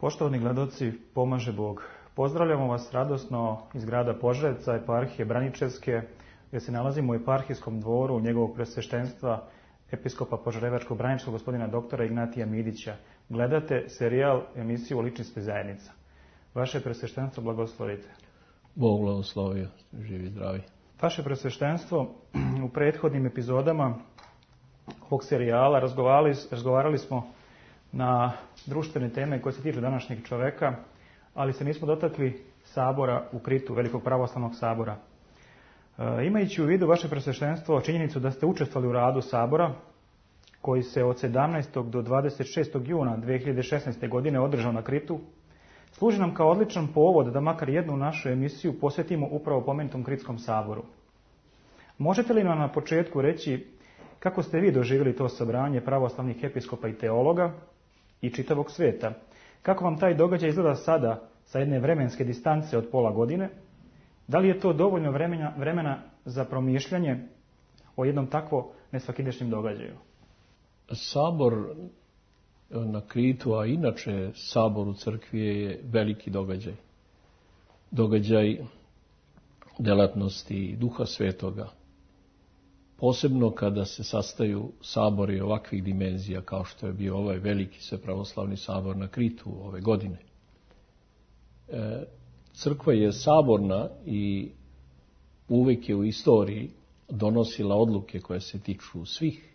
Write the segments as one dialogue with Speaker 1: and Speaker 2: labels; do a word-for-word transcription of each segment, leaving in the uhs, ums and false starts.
Speaker 1: Poštovani gledaoci, pomaže Bog. Pozdravljamo vas radosno iz grada Požarevca, eparhije Braničevske, gdje se nalazimo u eparhijskom dvoru njegovog presveštenstva episkopa Požarevačkog Braničevskog gospodina doktora Ignatija Midića. Gledate serijal emisiju Ličnosti zajednica. Vaše presveštenstvo blagoslovite.
Speaker 2: Bog blagoslovio, živi zdravi.
Speaker 1: Vaše presveštenstvo u prethodnim epizodama ovog serijala razgovarali, razgovarali smo na društvene teme koje se tiču današnjeg čoveka, ali se nismo dotakli sabora u Kritu, Velikog pravoslavnog sabora. E, imajući u vidu vaše presveštenstvo činjenicu da ste učestvovali u radu sabora, koji se od sedamnaestog do dvadeset šestog juna dve hiljade šesnaeste. godine održao na Kritu, služi nam kao odličan povod da makar jednu našu emisiju posvetimo upravo pomenutom Kritskom saboru. Možete li nam na početku reći kako ste vi doživjeli to sabranje pravoslavnih episkopa i teologa i čitavog svijeta? Kako vam taj događaj izgleda sada sa jedne vremenske distance od pola godine? Da li je to dovoljno vremena, vremena za promišljanje o jednom takvo nesvakidašnjem događaju?
Speaker 2: Sabor na Kritu, a inače sabor u crkvi je veliki događaj. Događaj delatnosti Duha Svetoga. Posebno kada se sastaju sabori ovakvih dimenzija kao što je bio ovaj veliki svepravoslavni sabor na Kritu ove godine. E, crkva je saborna i uvijek je u istoriji donosila odluke koje se tiču svih,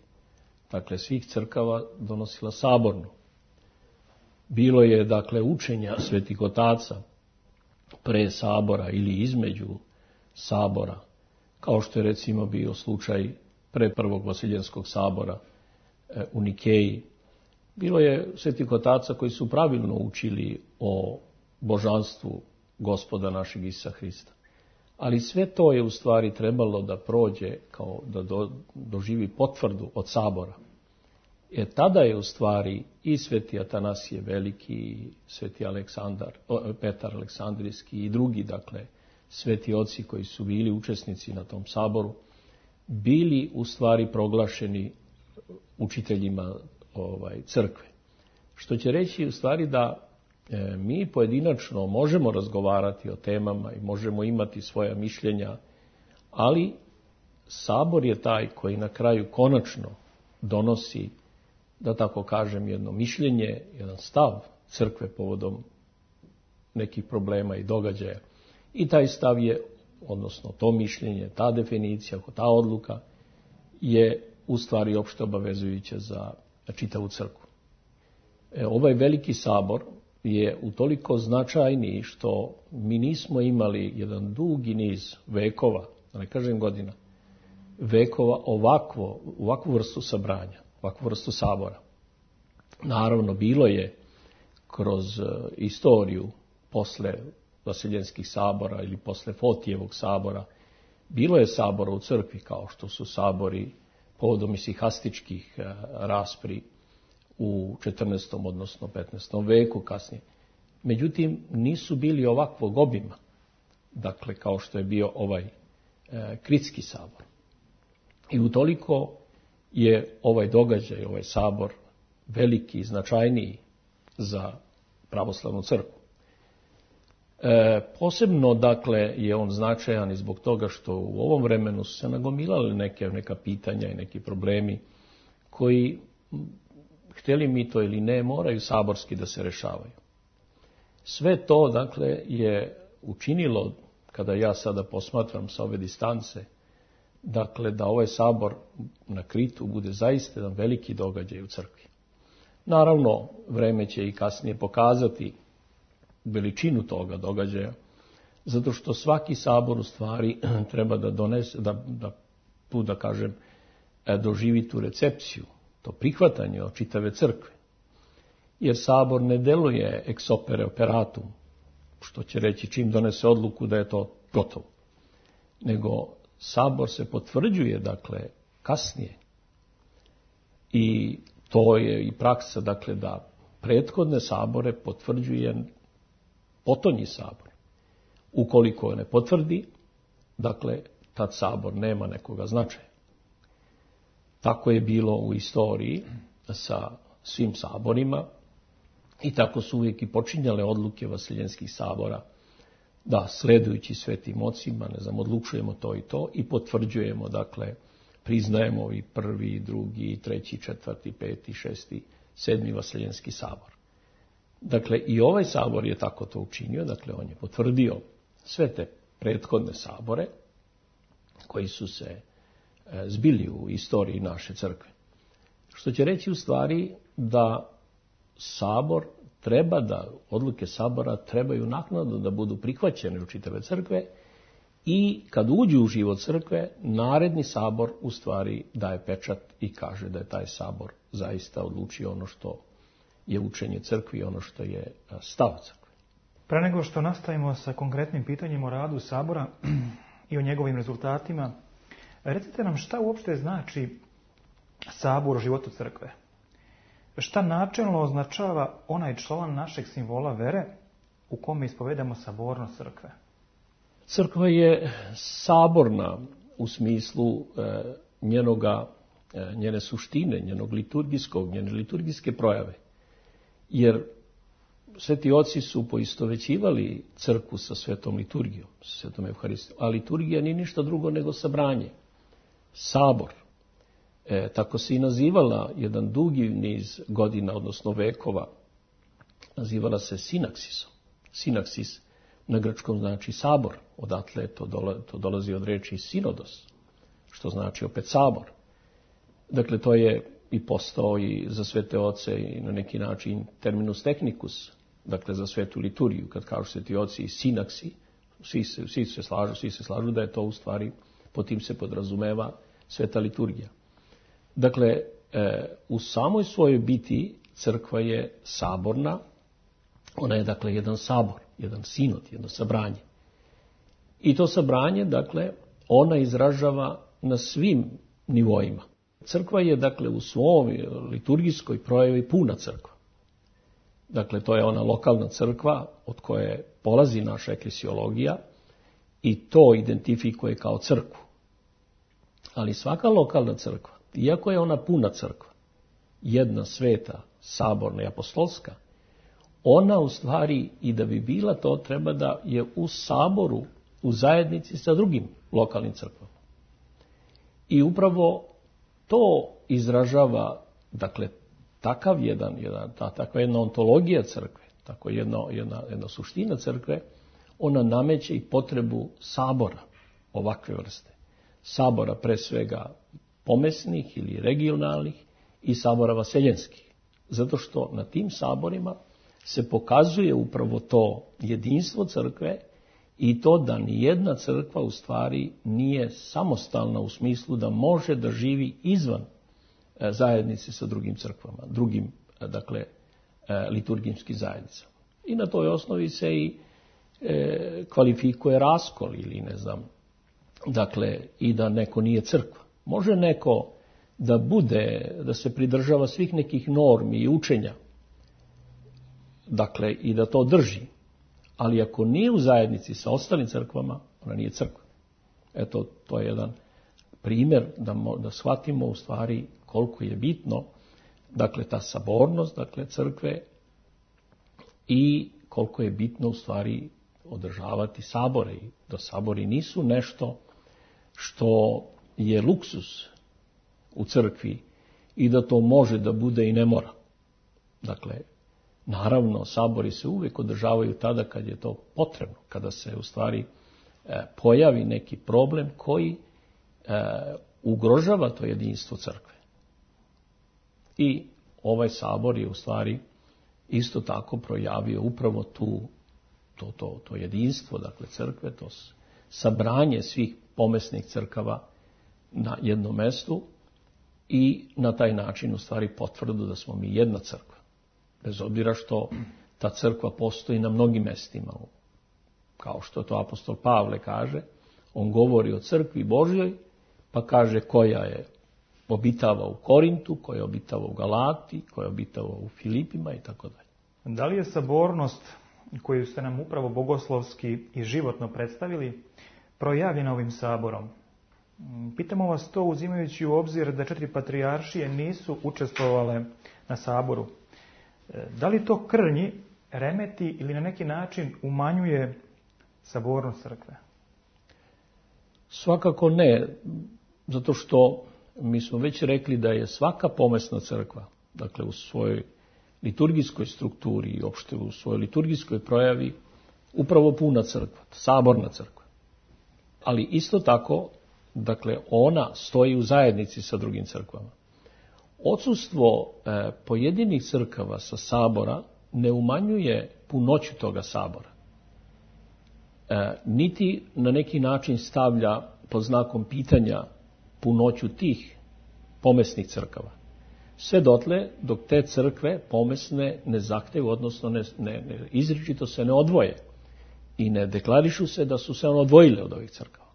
Speaker 2: dakle svih crkava donosila saborno. Bilo je dakle učenja svetih otaca pre sabora ili između sabora, kao što je recimo bio slučaj pre prvog Vasiljenskog sabora e, u Nikeji. Bilo je svetih otaca koji su pravilno učili o božanstvu Gospoda našeg Isusa Hrista. Ali sve to je u stvari trebalo da prođe, kao da do, doživi potvrdu od sabora. Jer tada je u stvari i sveti Atanasije Veliki, i sveti Aleksandar, o, Petar Aleksandrijski i drugi, dakle, sveti oci koji su bili učesnici na tom saboru, bili u stvari proglašeni učiteljima ovaj, crkve. Što će reći u stvari da e, mi pojedinačno možemo razgovarati o temama i možemo imati svoja mišljenja, ali sabor je taj koji na kraju konačno donosi, da tako kažem, jedno mišljenje, jedan stav crkve povodom nekih problema i događaja. I taj stav je, odnosno to mišljenje, ta definicija, ta odluka je u stvari opšte obavezujuća za čitavu crkvu. E, ovaj veliki sabor je utoliko značajniji što mi nismo imali jedan dugi niz vekova, da ne kažem godina, vekova ovakvo, ovakvu vrstu sabranja, ovakvu vrstu sabora. Naravno, bilo je kroz istoriju posle Vasiljenskih sabora ili posle Fotijevog sabora, bilo je sabora u crkvi kao što su sabori povodom isihastičkih raspri u četrnaestom odnosno petnaestom veku kasnije. Međutim, nisu bili ovakvog obima, dakle kao što je bio ovaj e, Kritski sabor. I utoliko je ovaj događaj, ovaj sabor veliki i značajniji za pravoslavnu crkvu. E, posebno, dakle, je on značajan i zbog toga što u ovom vremenu su se nagomilali neke, neka pitanja i neki problemi koji, htjeli mi to ili ne, moraju saborski da se rešavaju. Sve to, dakle, je učinilo, kada ja sada posmatram sa ove distance, dakle, da ovaj sabor na Kritu bude zaista jedan veliki događaj u crkvi. Naravno, vreme će i kasnije pokazati veličinu toga događaja, zato što svaki sabor u stvari treba da donese, da, da tu da kažem, doživi tu recepciju, to prihvatanje od čitave crkve. Jer sabor ne deluje ex opere operatum, što će reći čim donese odluku da je to gotovo. Nego sabor se potvrđuje, dakle, kasnije. I to je i praksa, dakle, da prethodne sabore potvrđuje potonji sabor. Ukoliko ne potvrdi, dakle, tad sabor nema nekoga značaja. Tako je bilo u istoriji sa svim saborima I tako su uvijek i počinjale odluke vaseljenskih sabora, da sledujući svetim ocima, ne znam, odlučujemo to i to i potvrđujemo, dakle, priznajemo i prvi, drugi, treći, četvrti, peti, šesti, sedmi vaseljenski sabor. Dakle, i ovaj sabor je tako to učinio, dakle, on je potvrdio sve te prethodne sabore koji su se zbili u istoriji naše crkve. Što će reći u stvari da sabor treba da, odluke sabora trebaju naknadno da budu prihvaćene u čitave crkve i kad uđu u život crkve, naredni sabor u stvari daje pečat i kaže da je taj sabor zaista odlučio ono što je učenje crkvi, ono što je stav crkve.
Speaker 1: Pre nego što nastavimo sa konkretnim pitanjem o radu sabora i o njegovim rezultatima, recite nam šta uopšte znači sabor u životu crkve? Šta načelno označava onaj član našeg simbola vere u kome ispovedamo sabornost crkve?
Speaker 2: Crkva je saborna u smislu e, njenoga, e, njene suštine, njenog liturgijskog, njene liturgijske projave. Jer sveti oci su poistovećivali crkvu sa svetom liturgijom, sa svetom Evharistijom, a liturgija nije ništa drugo nego sabranje, sabor. E, tako se i nazivala jedan dugi niz godina, odnosno vekova, nazivala se sinaksisom. Sinaksis na grčkom znači sabor, odatle to, dola, to dolazi od reči sinodos, što znači opet sabor. Dakle, to je i postao i za svete oce i na neki način terminus technicus, dakle za svetu liturgiju, kad kažu sveti oci i sinaksi, svi se, svi se slažu, svi se slažu da je to u stvari, po tim se podrazumeva sveta liturgija. Dakle, e, u samoj svojoj biti crkva je saborna, ona je dakle jedan sabor, jedan sinod, jedno sabranje. I to sabranje, dakle, ona izražava na svim nivoima. Crkva je, dakle, u svom liturgijskoj projavi puna crkva. Dakle, to je ona lokalna crkva od koje polazi naša eklesiologija i to identifikuje kao crkvu. Ali svaka lokalna crkva, iako je ona puna crkva, jedna sveta, saborna i apostolska, ona u stvari i da bi bila to treba da je u saboru, u zajednici sa drugim lokalnim crkvama. I upravo to izražava, dakle, takav jedan, jedan ta, takva jedna ontologija crkve, tako jedna, jedna, jedna suština crkve, ona nameće i potrebu sabora ovakve vrste. Sabora pre svega pomesnih ili regionalnih i sabora vaseljenskih. Zato što na tim saborima se pokazuje upravo to jedinstvo crkve i to da nijedna crkva u stvari nije samostalna u smislu da može da živi izvan zajednice sa drugim crkvama, drugim, dakle, liturgijskim zajednicama. I na toj osnovi se i e, kvalifikuje raskol ili ne znam, dakle, i da neko nije crkva. Može neko da bude, da se pridržava svih nekih normi i učenja, dakle, i da to drži, ali ako nije u zajednici sa ostalim crkvama, ona nije crkva. Eto, to je jedan primjer da, da shvatimo u stvari koliko je bitno, dakle, ta sabornost, dakle, crkve i koliko je bitno u stvari održavati sabore. I da sabori nisu nešto što je luksus u crkvi i da to može da bude i ne mora. Dakle, naravno, sabori se uvijek održavaju tada kad je to potrebno, kada se u stvari e, pojavi neki problem koji e, ugrožava to jedinstvo crkve. I ovaj sabor je u stvari isto tako projavio upravo tu, to, to, to jedinstvo, dakle, crkve, to sabranje svih pomesnih crkava na jednom mestu i na taj način u stvari potvrdu da smo mi jedna crkva. Bez obzira što ta crkva postoji na mnogim mestima. Kao što to apostol Pavle kaže, on govori o crkvi Božjoj, pa kaže koja je obitava u Korintu, koja je obitava u Galati, koja je obitava u Filipima i tako dalje.
Speaker 1: Da li je sabornost koju ste nam upravo bogoslovski i životno predstavili projavljena ovim saborom? Pitamo vas to uzimajući u obzir da četiri patrijaršije nisu učestvovale na saboru. Da li to krnji, remeti ili na neki način umanjuje sabornost crkve?
Speaker 2: Svakako ne, zato što mi smo već rekli da je svaka pomesna crkva, dakle u svojoj liturgijskoj strukturi i opšte u svojoj liturgijskoj projavi, upravo puna crkva, saborna crkva. Ali isto tako, dakle, ona stoji u zajednici sa drugim crkvama. Odsustvo e, pojedinih crkava sa sabora ne umanjuje punoću toga sabora. E, niti na neki način stavlja pod znakom pitanja punoću tih pomesnih crkava. Sve dotle dok te crkve pomesne ne zahtevu, odnosno ne, ne, ne, izričito se ne odvoje i ne deklarišu se da su se ono odvojile od ovih crkava.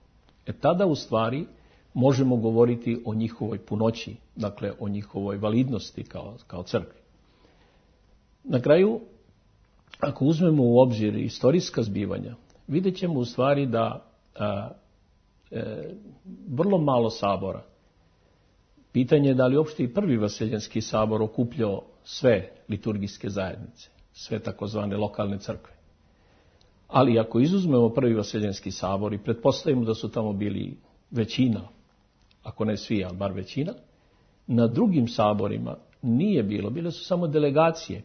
Speaker 2: E tada u stvari možemo govoriti o njihovoj punoći, dakle o njihovoj validnosti kao, kao crkvi. Na kraju, ako uzmemo u obzir istorijska zbivanja, vidjet ćemo u stvari da a, e, vrlo malo sabora. Pitanje je da li uopšte i prvi Vaseljenski sabor okupljao sve liturgijske zajednice, sve takozvane lokalne crkve. Ali ako izuzmemo prvi Vaseljenski sabor i pretpostavimo da su tamo bili većina, ako ne svi, ali bar većina, na drugim saborima nije bilo, bile su samo delegacije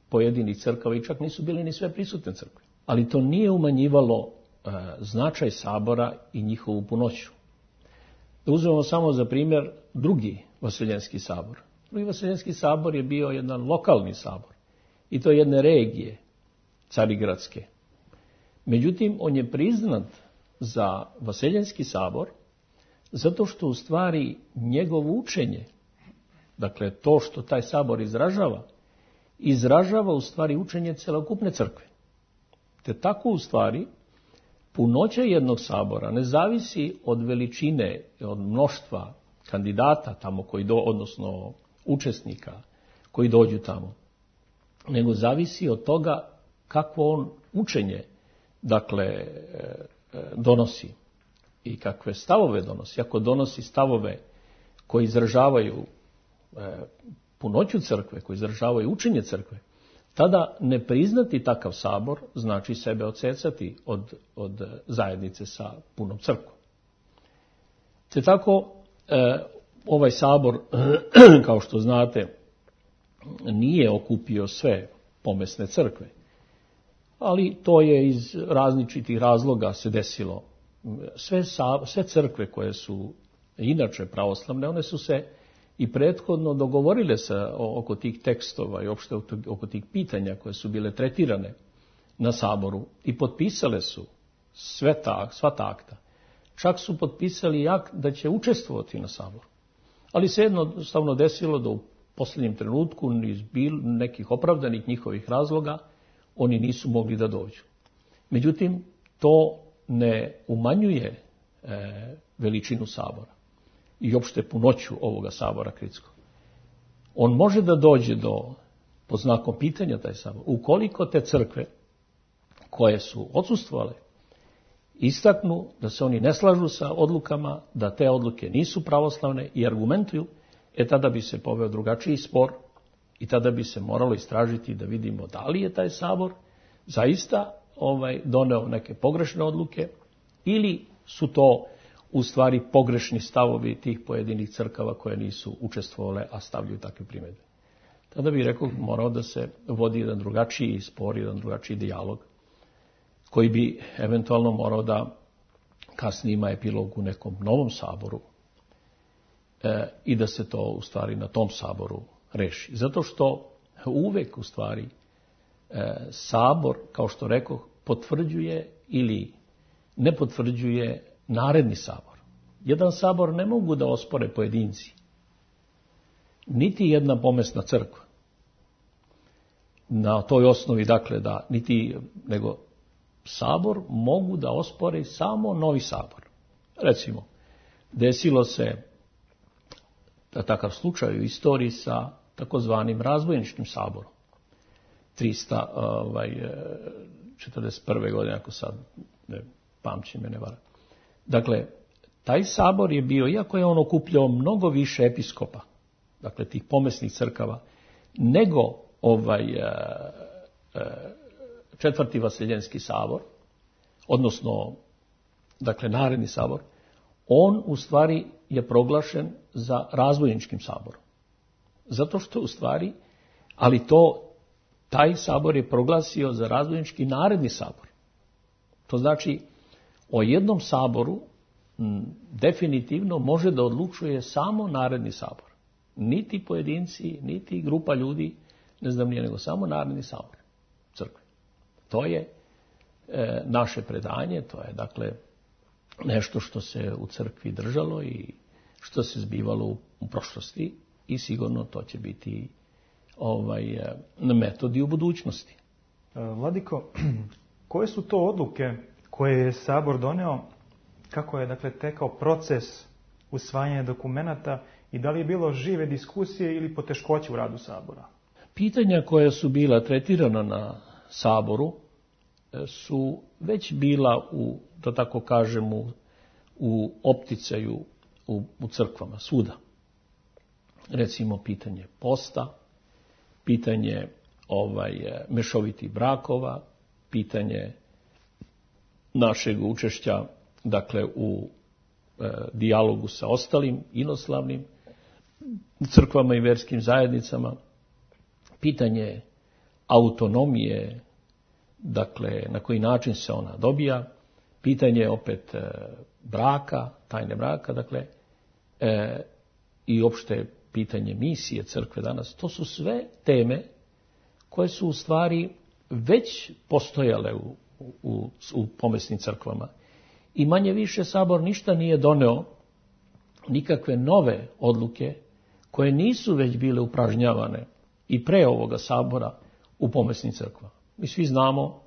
Speaker 2: pojedinih crkava i čak nisu bile ni sve prisutne crkve. Ali to nije umanjivalo e, značaj sabora i njihovu punoću. Da uzmemo samo za primjer drugi Vaseljenski sabor. Drugi Vaseljenski sabor je bio jedan lokalni sabor i to jedne regije carigradske. Međutim, on je priznat za Vaseljenski sabor zato što u stvari njegovo učenje, dakle to što taj sabor izražava, izražava u stvari učenje celokupne crkve. Te tako u stvari punoća jednog sabora ne zavisi od veličine, od mnoštva kandidata tamo koji do, odnosno učesnika koji dođu tamo, nego zavisi od toga kakvo on učenje, dakle, donosi i kakve stavove donosi. Ako donosi stavove koji izražavaju punoću crkve, koji izražavaju učenje crkve, tada ne priznati takav sabor znači sebe odsecati od, od zajednice sa punom crkvom. Te tako, ovaj sabor, kao što znate, nije okupio sve pomesne crkve, ali to je iz različitih razloga se desilo. Sve, sve crkve koje su inače pravoslavne, one su se i prethodno dogovorile se oko tih tekstova i uopšte oko tih pitanja koje su bile tretirane na saboru i potpisale su sve ta, sva ta akta. Čak su potpisali akt da će učestvovati na saboru. Ali se jednostavno desilo da u posljednjem trenutku iz nekih opravdanih njihovih razloga oni nisu mogli da dođu. Međutim, to ne umanjuje e, veličinu sabora i opšte punoću ovoga sabora kritskog. On može da dođe do, pod znakom pitanja taj sabor, ukoliko te crkve koje su odsustvovale istaknu da se oni ne slažu sa odlukama, da te odluke nisu pravoslavne i argumentuju, e tada bi se poveo drugačiji spor i tada bi se moralo istražiti da vidimo da li je taj sabor zaista ovaj, doneo neke pogrešne odluke ili su to u stvari pogrešni stavovi tih pojedinih crkava koje nisu učestvovale, a stavljaju takve primjedbe. Tada bih rekao, morao da se vodi jedan drugačiji spor, jedan drugačiji dijalog, koji bi eventualno morao da kasnije ima epilog u nekom novom saboru e, i da se to u stvari na tom saboru reši. Zato što uvek u stvari e, sabor, kao što rekoh, potvrđuje ili ne potvrđuje naredni sabor. Jedan sabor ne mogu da ospore pojedinci, niti jedna pomesna crkva. Na toj osnovi, dakle, da niti, nego sabor mogu da ospore samo novi sabor. Recimo, desilo se da takav slučaj u istoriji sa takozvanim razbojničkim saborom. trista četrdeset prve godine, ako sad ne pamćim me ne vara. Dakle, taj sabor je bio, iako je on okupljao mnogo više episkopa, dakle tih pomesnih crkava, nego ovaj e, e, četvrti Vaseljenski sabor, odnosno dakle naredni sabor, on u stvari je proglašen za razbojničkim saborom. Zato što u stvari, ali to, taj sabor je proglasio za razbojnički naredni sabor. To znači, o jednom saboru m, definitivno može da odlučuje samo naredni sabor. Niti pojedinci, niti grupa ljudi, ne znam nije, nego samo naredni sabor crkve. To je e, naše predanje, to je dakle nešto što se u crkvi držalo i što se zbivalo u, u prošlosti i sigurno to će biti ovaj, metod i u budućnosti.
Speaker 1: Vladiko, koje su to odluke koje je Sabor doneo, kako je dakle tekao proces usvajanja dokumenata i da li je bilo žive diskusije ili poteškoće u radu Sabora?
Speaker 2: Pitanja koja su bila tretirana na Saboru su već bila u, da tako kažemo, u opticaju u, u crkvama, svuda. Recimo pitanje posta, pitanje ovaj, mešovitih brakova, pitanje našeg učešća dakle u e, dijalogu sa ostalim inoslavnim crkvama i verskim zajednicama, pitanje autonomije, dakle na koji način se ona dobija, pitanje opet e, braka, tajne braka, dakle e, i opšte pitanje misije crkve danas. To su sve teme koje su u stvari već postojale u, u, u pomesnim crkvama. I manje više Sabor ništa nije doneo, nikakve nove odluke koje nisu već bile upražnjavane i pre ovoga Sabora u pomesnim crkvama. Mi svi znamo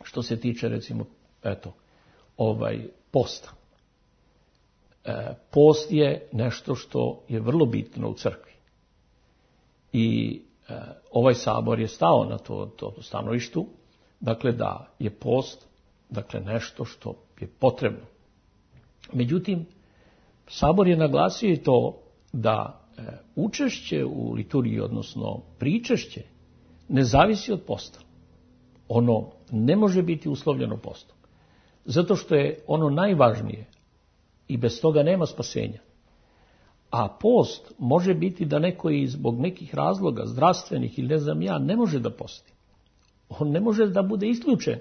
Speaker 2: što se tiče recimo eto, ovaj posta. E, post je nešto što je vrlo bitno u crkvi. I e, ovaj Sabor je stao na to, to stanovištu, dakle da je post dakle nešto što je potrebno. Međutim, Sabor je naglasio i to da e, učešće u liturgiji, odnosno pričešće, ne zavisi od posta. Ono ne može biti uslovljeno postom. Zato što je ono najvažnije i bez toga nema spasenja. A post može biti da neko i zbog nekih razloga, zdravstvenih ili ne znam ja, ne može da posti. On ne može da bude isključen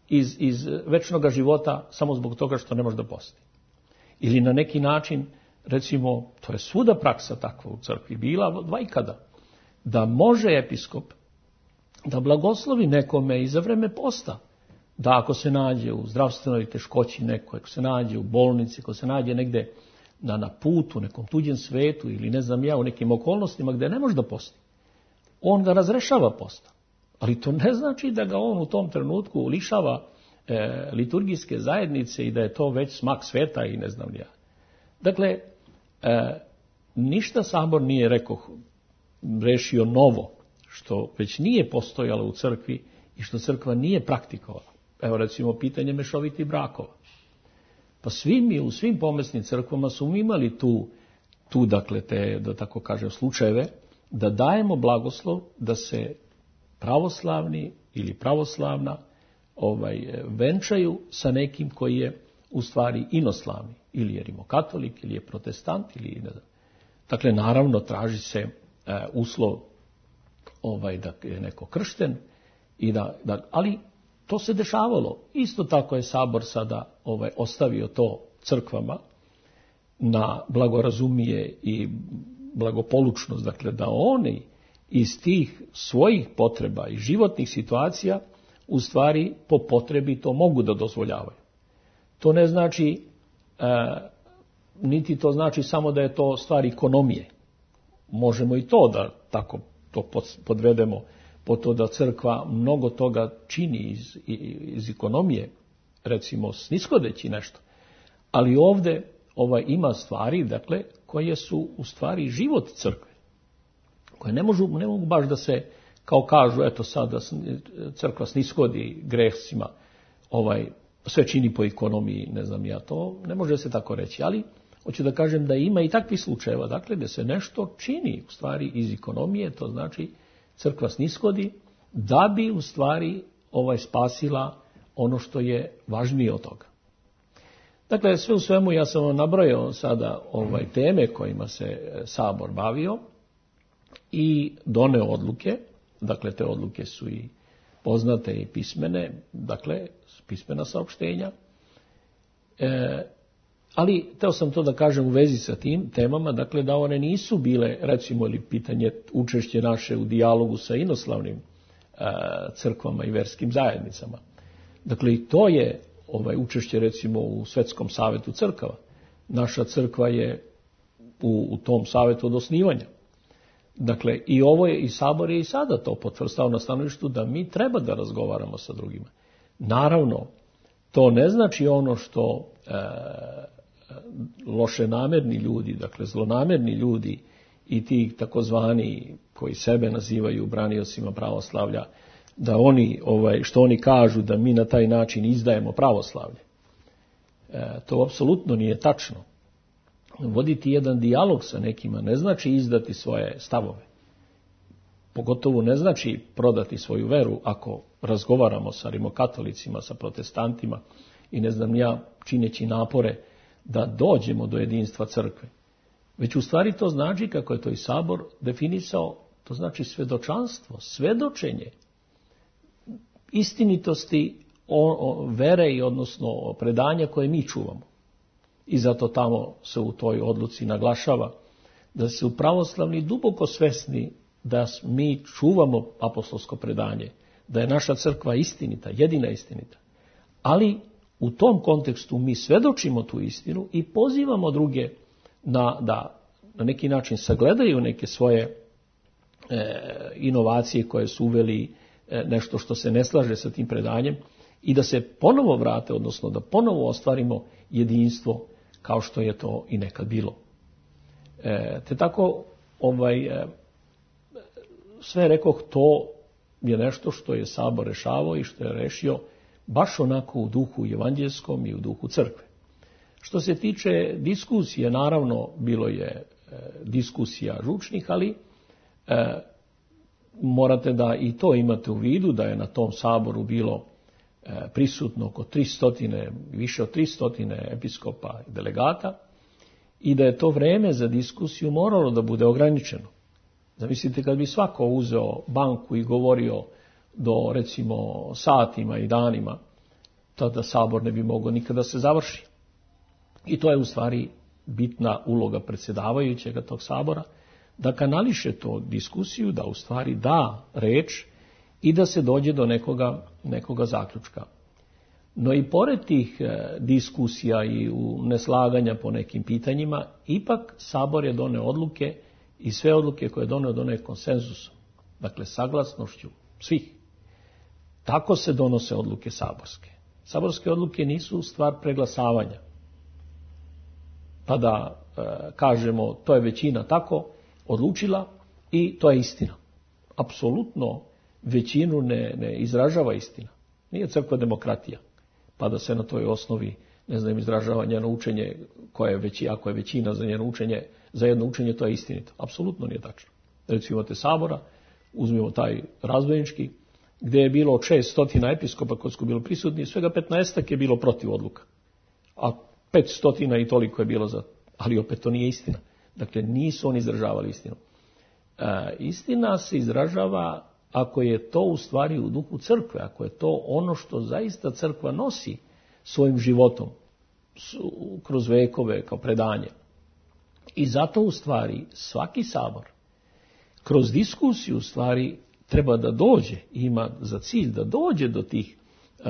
Speaker 2: iz, iz večnog života samo zbog toga što ne može da posti. Ili na neki način, recimo, to je svuda praksa takva u crkvi, bila vajkada, da može episkop da blagoslovi nekome i za vreme posta, da ako se nađe u zdravstvenoj teškoći neko, ako se nađe u bolnici, ako se nađe negde na, na putu, nekom tuđem svetu ili ne znam ja, u nekim okolnostima gdje ne može da posti, on ga razrešava posta. Ali to ne znači da ga on u tom trenutku lišava e, liturgijske zajednice i da je to već smak sveta i ne znam ja. Dakle, e, ništa Sabor nije rekao, rešio novo, što već nije postojalo u crkvi i što crkva nije praktikovala. Evo recimo pitanje mešovitih brakova. Pa svi mi u svim pomesnim crkvama su imali tu, tu dakle te, da tako kažem, slučajeve, da dajemo blagoslov da se pravoslavni ili pravoslavna ovaj, venčaju sa nekim koji je u stvari inoslavni. Ili je rimokatolik, ili je protestant, ili ne znam. Dakle, naravno, traži se e, uslov ovaj, da je neko kršten, i da, da, ali to se dešavalo. Isto tako je Sabor sada ovaj, ostavio to crkvama na blagorazumije i blagopolučnost, dakle da oni iz tih svojih potreba i životnih situacija u stvari po potrebi to mogu da dozvoljavaju. To ne znači, e, niti to znači samo da je to stvar ekonomije. Možemo i to da tako to podvedemo po to da crkva mnogo toga čini iz, iz ekonomije, recimo sniskodeći nešto. Ali ovdje ovaj, ima stvari, dakle, koje su u stvari život crkve, koje ne, možu, ne mogu baš da se, kao kažu, eto sad da crkva sniskodi grehcima, ovaj, sve čini po ekonomiji, ne znam ja, to ne može se tako reći, ali hoću da kažem da ima i takvih slučajeva, dakle, da se nešto čini u stvari iz ekonomije, to znači crkva snishodi, da bi u stvari ovaj spasila ono što je važnije od toga. Dakle, sve u svemu ja sam vam nabrojao sada ovaj teme kojima se Sabor bavio i doneo odluke. Dakle, te odluke su i poznate i pismene, dakle, pismena saopštenja. E, ali, teo sam to da kažem u vezi sa tim temama, dakle, da one nisu bile, recimo, ili pitanje učešće naše u dijalogu sa inoslavnim e, crkvama i verskim zajednicama. Dakle, i to je ovaj učešće, recimo, u Svetskom savetu crkava. Naša crkva je u, u tom savetu od osnivanja. Dakle, i ovo je, i Sabor je i sada to potvrstao na stanovištu da mi treba da razgovaramo sa drugima. Naravno, to ne znači ono što e, loše namerni ljudi, dakle zlonamerni ljudi i ti takozvani koji sebe nazivaju braniocima pravoslavlja, da oni, ovaj, što oni kažu da mi na taj način izdajemo pravoslavlje. E, to apsolutno nije tačno. Voditi jedan dijalog sa nekima ne znači izdati svoje stavove. Pogotovo ne znači prodati svoju veru ako razgovaramo sa rimokatolicima, sa protestantima i ne znam ja čineći napore da dođemo do jedinstva crkve. Već u stvari to znači, kako je to i Sabor definisao, to znači svedočanstvo, svedočenje istinitosti o, o, vere i odnosno predanja koje mi čuvamo. I zato tamo se u toj odluci naglašava da su pravoslavni duboko svesni da mi čuvamo apostolsko predanje, da je naša crkva istinita, jedina istinita. Ali u tom kontekstu mi svedočimo tu istinu i pozivamo druge na, da na neki način sagledaju neke svoje e, inovacije koje su uveli e, nešto što se ne slaže sa tim predanjem i da se ponovo vrate, odnosno da ponovo ostvarimo jedinstvo kao što je to i nekad bilo. E, te tako, ovaj, e, sve rekoh, to je nešto što je Sabor rešavao i što je rešio baš onako u duhu evanđelskom i u duhu crkve. Što se tiče diskusije, naravno, bilo je e, diskusija žučnih, ali e, morate da i to imate u vidu, da je na tom Saboru bilo prisutno oko tristo, više od tristo episkopa i delegata i da je to vreme za diskusiju moralo da bude ograničeno. Zamislite kad bi svako uzeo banku i govorio do recimo satima i danima, tada Sabor ne bi mogao nikada se završi. I to je u stvari bitna uloga predsjedavajućega tog Sabora, da kanališe to diskusiju, da u stvari da reč i da se dođe do nekoga, nekoga zaključka. No i pored tih e, diskusija i u neslaganja po nekim pitanjima, ipak Sabor je doneo odluke i sve odluke koje je doneo, doneo konsenzusom. Dakle, saglasnošću svih. Tako se donose odluke saborske. Saborske odluke nisu stvar preglasavanja. Pa da e, kažemo, to je većina tako odlučila i to je istina. Apsolutno većinu ne, ne izražava istina. Nije crkva demokratija. Pa da se na toj osnovi, ne znam, izražava njeno učenje, koje je veći, ako je većina za njeno učenje, za jedno učenje, to je istinito. Apsolutno nije tačno. Recimo imate Sabora, uzmimo taj razbojnički, gdje je bilo šesnaest episkopa koji su bili prisutni, svega petnaestak je bilo protiv odluka. A petsto i toliko je bilo za, ali opet to nije istina. Dakle, nisu oni izražavali istinu. E, istina se izražava ako je to u stvari u duhu crkve, ako je to ono što zaista crkva nosi svojim životom kroz vekove kao predanje. I zato u stvari svaki Sabor kroz diskusiju u stvari treba da dođe, ima za cilj da dođe do tih,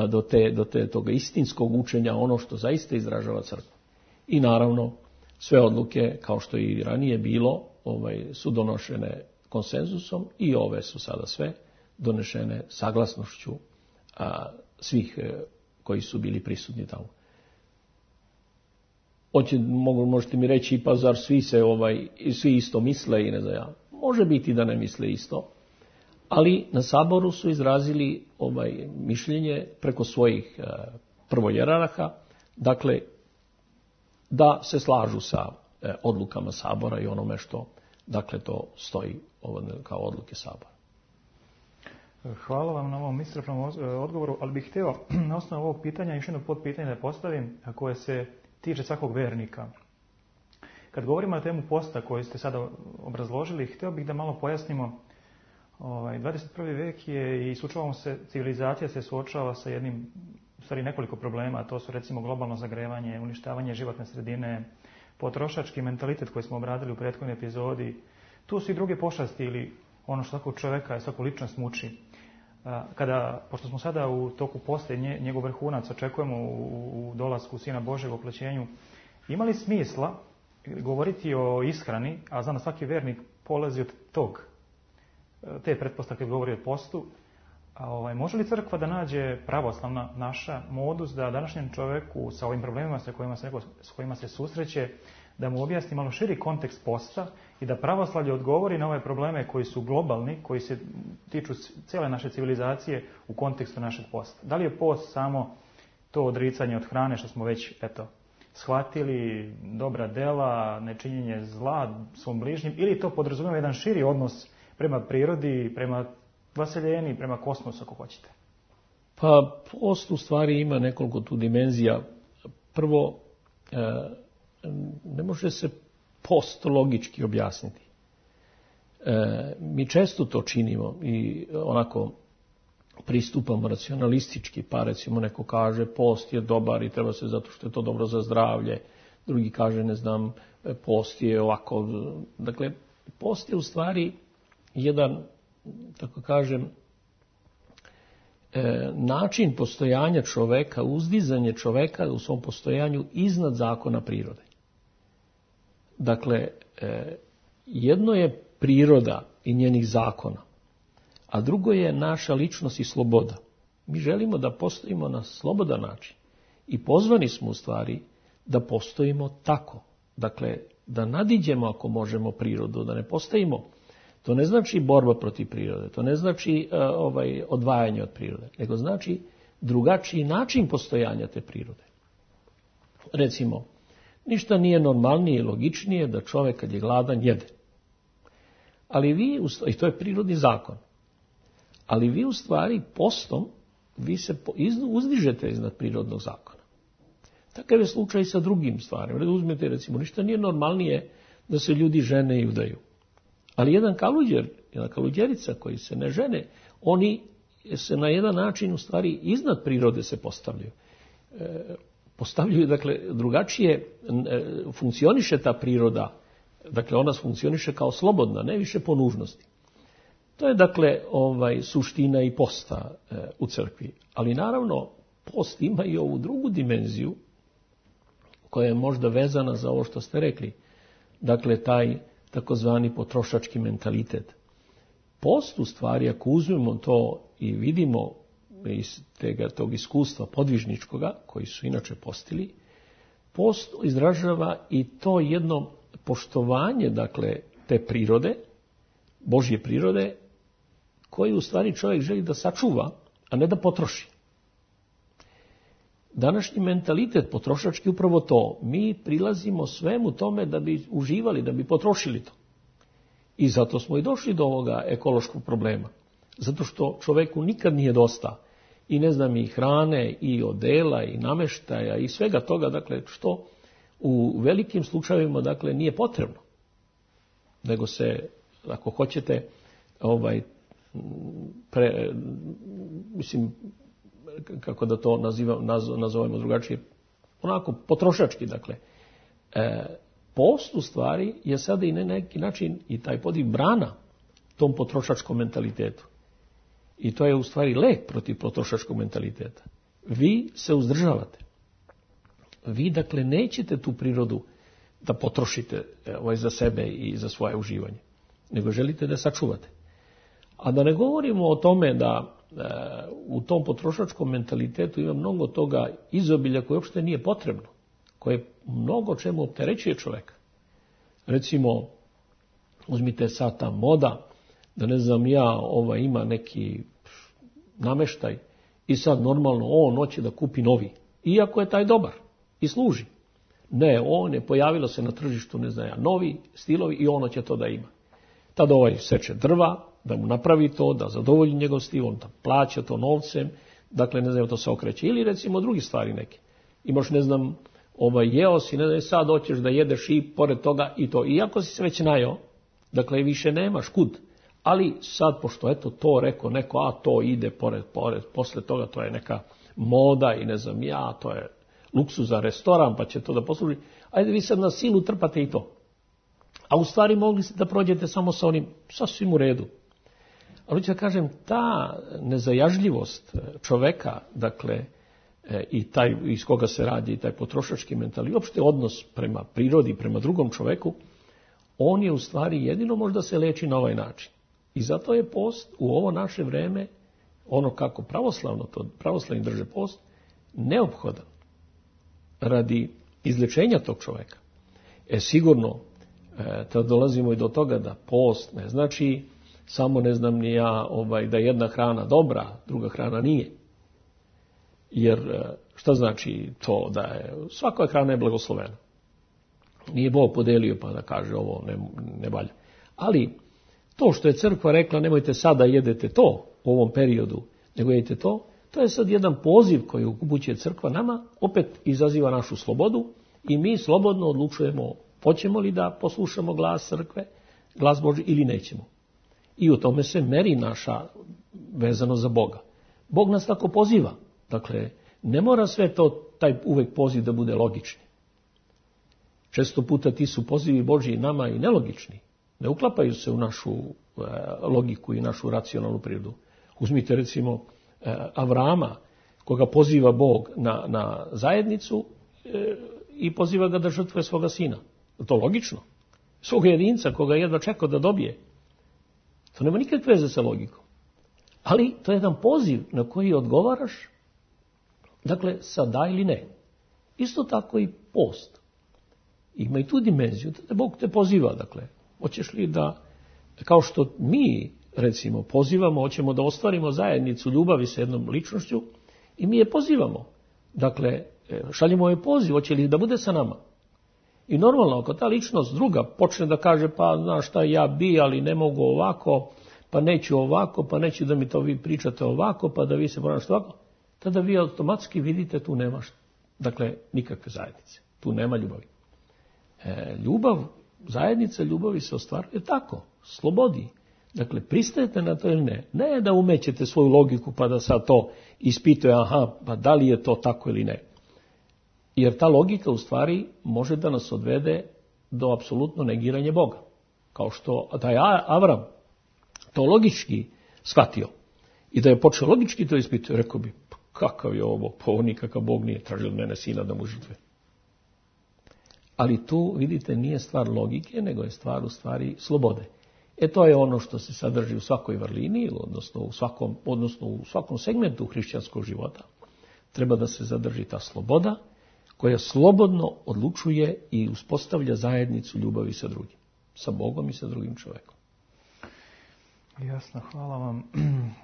Speaker 2: do te, do te toga istinskog učenja, ono što zaista izražava crkva. I naravno sve odluke, kao što je i ranije bilo, ovaj, su donošene konsenzusom i ove su sada sve donešene saglasnošću a, svih e, koji su bili prisutni tamo. Oće, mogu, možete mi reći, pa zar svi se ovaj, svi isto misle i ne znam ja. Može biti da ne misle isto, ali na Saboru su izrazili ovaj mišljenje preko svojih e, prvojerarha, dakle da se slažu sa e, odlukama Sabora i onome što, dakle, to stoji ovo, kao odluke Sabora.
Speaker 1: Hvala vam na ovom iscrpnom odgovoru, ali bih htio na osnovu ovog pitanja još jedno podpitanje da postavim, koje se tiče svakog vernika. Kad govorimo na temu posta koju ste sada obrazložili, htio bih da malo pojasnimo. Ovaj, dvadeset prvi vek je i suočavamo se, civilizacija se suočava sa jednim, u stvari nekoliko problema, to su recimo globalno zagrevanje, uništavanje životne sredine, potrošački mentalitet koji smo obradili u prethodnoj epizodi. Tu su i druge pošasti ili ono što svakog čovjeka i svaku ličnost muči. Kada, pošto smo sada u toku posta i njegov vrhunac očekujemo u, u dolasku Sina Božeg, oplećenju, ima li smisla govoriti o ishrani, a znam da svaki vernik polazi od tog, te pretpostavke govori o postu, a ovaj, može li crkva da nađe pravoslavna naša modus da današnjem čovjeku sa ovim problemima sa kojima se, s kojima se susreće, da mu objasni malo širi kontekst posta i da pravoslavlje odgovori na ove probleme koji su globalni, koji se tiču cijele naše civilizacije u kontekstu našeg posta. Da li je post samo to odricanje od hrane što smo već eto, shvatili, dobra dela, nečinjenje zla svom bližnjim, ili to podrazumijeva jedan širi odnos prema prirodi, prema vaseljeni, prema kosmosu ako hoćete?
Speaker 2: Pa post u stvari ima nekoliko tu dimenzija. Prvo, ne može se post logički objasniti. Mi često to činimo i onako pristupamo racionalistički, pa recimo neko kaže post je dobar i treba se zato što je to dobro za zdravlje, drugi kaže ne znam post je ovako. Dakle, post je u stvari jedan, tako kažem, način postojanja čoveka, uzdizanje čoveka u svom postojanju iznad zakona prirode. Dakle, jedno je priroda i njenih zakona, a drugo je naša ličnost i sloboda. Mi želimo da postojimo na slobodan način i pozvani smo u stvari da postojimo tako. Dakle, da nadiđemo ako možemo prirodu, da ne postojimo. To ne znači borba protiv prirode, to ne znači uh, ovaj, odvajanje od prirode, nego znači drugačiji način postojanja te prirode. Recimo, ništa nije normalnije i logičnije da čovjek kad je gladan jede. Ali vi, i to je prirodni zakon, ali vi u stvari postom, vi se uzdižete iznad prirodnog zakona. Takav je slučaj sa drugim stvarima. Uzmete recimo, ništa nije normalnije da se ljudi žene i udaju. Ali jedan kaluđer, jedna kaluđerica koji se ne žene, oni se na jedan način u stvari iznad prirode se postavljaju. E, postavljaju, dakle, drugačije e, funkcioniše ta priroda, dakle ona funkcioniše kao slobodna, ne više po nužnosti. To je dakle ovaj suština i posta e, u crkvi. Ali naravno post ima i ovu drugu dimenziju koja je možda vezana za ovo što ste rekli. Dakle, taj takozvani potrošački mentalitet. Post u stvari, ako uzmemo to i vidimo iz tega, tog iskustva podvižničkoga, koji su inače postili, post izražava i to jedno poštovanje, dakle, te prirode, Božje prirode, koji u stvari čovjek želi da sačuva, a ne da potroši. Današnji mentalitet potrošački upravo to. Mi prilazimo svemu tome da bi uživali, da bi potrošili to. I zato smo i došli do ovoga ekološkog problema. Zato što čovjeku nikad nije dosta. I ne znam, i hrane, i odela, i nameštaja, i svega toga, dakle, što u velikim slučajevima, dakle, nije potrebno. Nego se, ako hoćete, ovaj, pre, mislim, kako da to nazivam, nazovemo drugačije, onako potrošački, dakle. E, post u stvari je sada i na neki način i taj podiv brana tom potrošačkom mentalitetu. I to je u stvari lek protiv potrošačkog mentaliteta. Vi se uzdržavate. Vi, dakle, nećete tu prirodu da potrošite ovaj, za sebe i za svoje uživanje, nego želite da sačuvate. A da ne govorimo o tome da e, u tom potrošačkom mentalitetu ima mnogo toga izobilja koje uopšte nije potrebno, koje mnogo čemu opterećuje čovjeka. Recimo, uzmite sad ta moda, da ne znam ja, ova ima neki nameštaj i sad normalno on hoće da kupi novi, iako je taj dobar i služi. Ne, on je pojavilo se na tržištu, ne znam ja, novi stilovi i ono će to da ima. Tada ovaj seče drva, da mu napravi to, da zadovolji njegov stil, on da plaća to novcem, dakle, ne znam, to se okreće. Ili recimo drugi stvari neke. Imaš, ne znam, ovaj, jeo si, ne znam, sad hoćeš da jedeš i pored toga i to. Iako si se već najeo, dakle, više nemaš kud. Ali sad, pošto eto to rekao neko, a to ide pored, pored, posle toga to je neka moda i ne znam ja, to je luksuz za restoran, pa će to da posluži. Ajde vi sad na silu trpate i to. A u stvari mogli ste da prođete samo sa onim, sasvim u redu. Ali ću da kažem, ta nezajažljivost čoveka, dakle, i taj iz koga se radi, i taj potrošački mental, i uopšte odnos prema prirodi, prema drugom čoveku, on je u stvari jedino možda se leči na ovaj način. I zato je post u ovo naše vreme, ono kako pravoslavno to, pravoslavni drže post, neophodan radi izlečenja tog čoveka. E sigurno, e, tad dolazimo i do toga da post ne znači samo ne znam ni ja ovaj, da je jedna hrana dobra, druga hrana nije. Jer šta znači to da je, svaka hrana je blagoslovena. Nije Bog podelio pa da kaže ovo ne, ne valja. Ali to što je crkva rekla nemojte sada jedete to u ovom periodu, nego jedete to, to je sad jedan poziv koji upućuje crkva nama, opet izaziva našu slobodu i mi slobodno odlučujemo hoćemo li da poslušamo glas crkve, glas Božji ili nećemo. I u tome se meri naša vezano za Boga. Bog nas tako poziva. Dakle, ne mora sve to, taj uvek poziv da bude logični. Često puta ti su pozivi Božji nama i nelogični. Ne uklapaju se u našu e, logiku i našu racionalnu prirodu. Uzmite recimo e, Avrama, koga poziva Bog na, na zajednicu e, i poziva ga da žrtvuje svoga sina. Je to logično? Svoga jedinca koga jedva čekao da dobije. To nema nikakve veze sa logikom. Ali to je jedan poziv na koji odgovaraš, dakle, sa da ili ne. Isto tako i post. Ima i tu dimenziju, da Bog te poziva, dakle. Hoćeš li da, kao što mi, recimo, pozivamo, hoćemo da ostvarimo zajednicu ljubavi sa jednom ličnošću i mi je pozivamo. Dakle, šaljemo joj poziv, hoće li da bude sa nama. I normalno, ako ta ličnost druga počne da kaže, pa znaš šta, ja bi, ali ne mogu ovako, pa neću ovako, pa neću da mi to vi pričate ovako, pa da vi se ponašate ovako, tada vi automatski vidite tu nemaš, dakle, nikakve zajednice. Tu nema ljubavi. E, ljubav, zajednica ljubavi se ostvaruje tako, slobodi. Dakle, pristajete na to ili ne. Ne da umećete svoju logiku pa da sad to ispituje, aha, pa da li je to tako ili ne. Jer ta logika u stvari može da nas odvede do apsolutno negiranja Boga. Kao što da je Avram to logički shvatio i da je počeo logički to ispituje, rekao bi, kakav je ovo, pa ovo nikakav Bog nije tražio od mene sina da mu žrtve. Ali tu, vidite, nije stvar logike, nego je stvar u stvari slobode. E to je ono što se sadrži u svakoj vrlini, odnosno u svakom, odnosno u svakom segmentu hrišćanskog života. Treba da se zadrži ta sloboda, koja slobodno odlučuje i uspostavlja zajednicu ljubavi sa drugim. Sa Bogom i sa drugim čovjekom.
Speaker 1: Jasno, hvala vam.